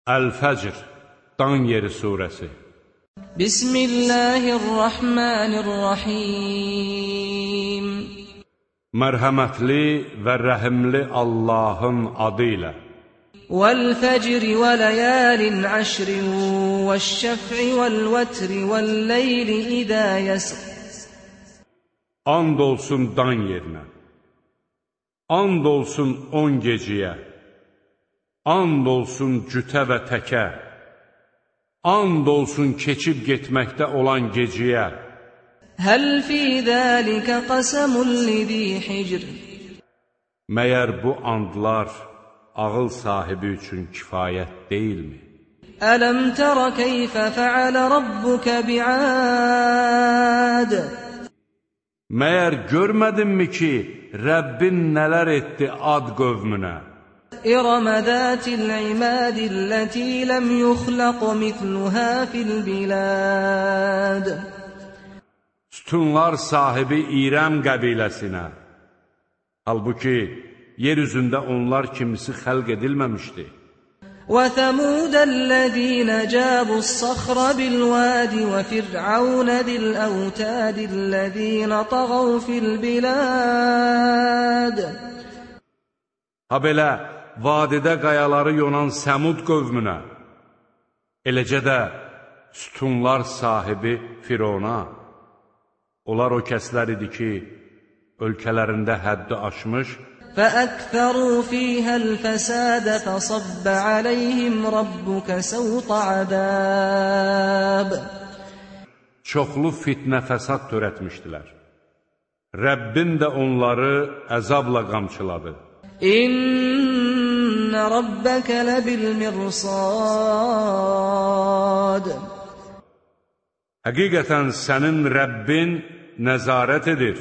Əl-Fəcr, Dan yeri surəsi. Bismillahirrahmanirrahim. Mərhəmətli və rəhimli Allahın adı ilə. Vəl-fəcri və ləyalin əşrin vəş-şəf'i vəl-vətri vəl-leyli idə yəsr. And olsun dan yerinə, and olsun 10 geciyə, and olsun cütə və təkə, and olsun keçib getməkdə olan geciyə. Həl fi zəlikə qəsəmun lizi hicr. Məyər bu andlar ağıl sahibi üçün kifayət deyilmi? Ələm tərə keyfə fəalə rabbukə bi'ad. Məyər görmədinmi ki, Rəbbin nələr etdi Ad qövmünə? İrəmə zətil imədilləti ləm yuxləq mitluhə fil bilad. Sütunlar sahibi İrəm qəbiləsinə. Halbuki, yer üzündə onlar kimisi xəlq edilməmişdi. وَثَمُودَ الَّذِينَ جَابُوا الصَّخْرَ بِالْوَادِ وَفِرْعَوْنَ ذِي الْأَوْتَادِ الَّذِينَ طَغَوْا فِي الْبِلَادِ. Ha belə, vadidə qayaları yonan Səmud qövmünə, eləcə də sütunlar sahibi Firona. Onlar o kəslər idi ki, ölkələrində həddi aşmış, فَأَكْثَرُوا فِيهَا الْفَسَادَ فَصَبَّ عَلَيْهِمْ رَبُّكَ سَوْطَ عَذَابٍ. Çoxlu fitnə fəsad törətmişdilər. Rəbbin də onları əzabla qamçıladı. İnne rabbeke lebil mirsad. Həqiqətən sənin Rəbbin nəzarət edir.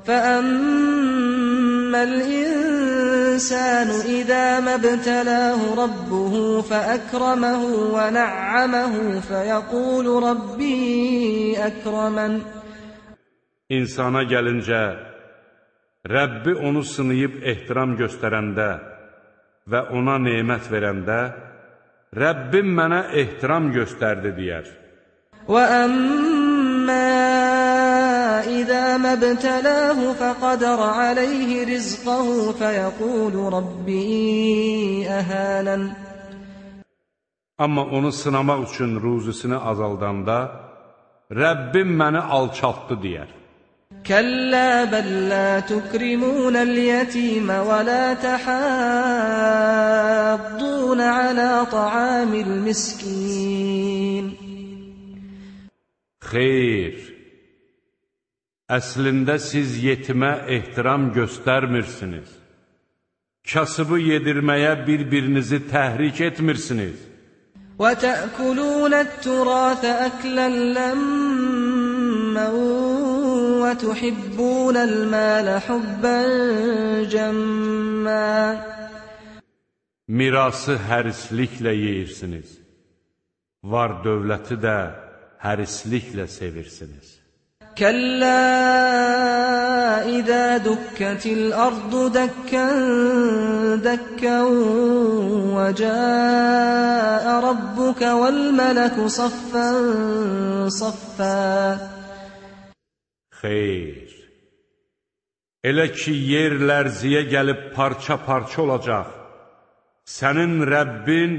فَأَمَّا الْإِنسَانُ إِذَا مَا ابْتَلَاهُ رَبُّهُ فَأَكْرَمَهُ وَنَعَّمَهُ فَيَقُولُ رَبِّي أَكْرَمَنِ. İnsana gəlincə, Rəbbi onu sınayıb ehtiram göstərəndə və ona nemət verəndə, Rəbbim mənə ehtiram göstərdi deyər. وَأَمَّا إِذَا مَا ابْتَلَاهُ فَقَدَرَ عَلَيْهِ رِزْقَهُ فَيَقُولُ رَبِّي أَهَانَنِ. Amma onu sınamaq üçün ruzisini azaldanda, Rəbbim məni alçaltdı deyər. كَلَّا بَل لَّا تُكْرِمُونَ الْيَتِيمَ وَلَا تَحَاضُّونَ عَلَى طَعَامِ الْمِسْكِينِ. Xeyr, əslində siz yetimə ehtiram göstərmirsiniz. Kasıbı yedirməyə bir-birinizi təhrik etmirsiniz. وَتَأْكُلُونَ التُّرَاثَ أَكْلًا لَّمًّا وَتُحِبُّونَ الْمَالَ حُبًّا جَمًّا. Mirası hərisliklə yeyirsiniz. Var dövləti də hərisliklə sevirsiniz. كَلَّا إِذَا دُكَّتِ الْأَرْضُ دَكًّا دَكًّا وَجَاءَ رَبُّكَ وَالْمَلَكُ صَفًّا صَفًّا. Xeyr, elə ki yer lərziyə gəlib parça-parça olacaq, sənin Rəbbin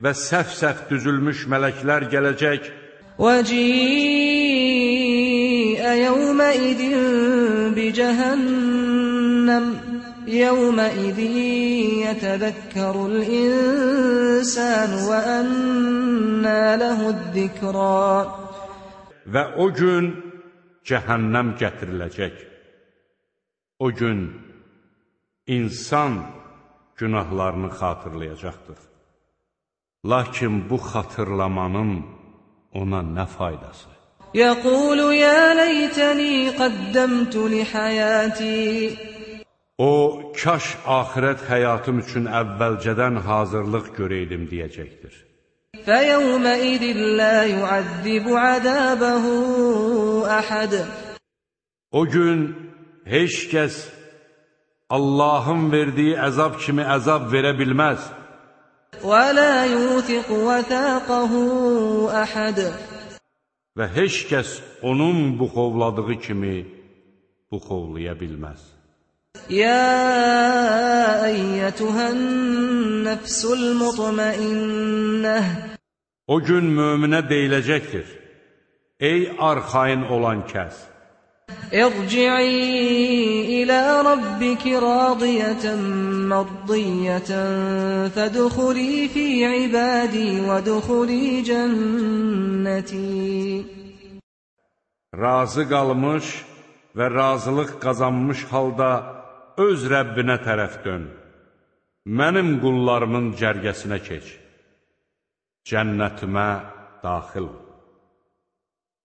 və səf-səf düzülmüş mələklər gələcək. وَجِيءَ يَوْمَئِذٍ بِجَهَنَّمَ يَوْمَئِذٍ يَتَذَكَّرُ الْإِنسَانُ وَأَنَّى لَهُ الذِّكْرَى. Və o gün cəhənnəm gətiriləcək. O gün insan günahlarını xatırlayacaqdır. Lakin bu xatırlamanın ona nə faydası? يَقُولُ يَا لَيْتَنِي قَدَّمْتُ لِحَيَاتِي. O, kaş axirət həyatım üçün əvvəlcədən hazırlıq görəydim deyəcəkdir. فَيَوْمَئِذٍ لَّا يُعَذِّبُ عَذَابَهُ أَحَدٌ. O gün heç kəs Allahın verdiyi əzab kimi əzab verə bilməz. وَلَا يُوثِقُ وَثَاقَهُ أَحَدٌ Və heç kəs onun buxovladığı kimi buxovlaya bilməz. يَا أَيَّتُهَا النَّفْسُ الْمُطْمَئِنَّةُ O gün möminə deyiləcəkdir: Ey arxayın olan kəs! ارجعي إلى ربك راضية مرضية فادخلي في عبادي وادخلي جنتي. Razı qalmış və razılıq qazanmış halda öz Rəbbinə tərəf dön. Mənim qullarımın cərgəsinə keç. Cənnətimə daxil ol.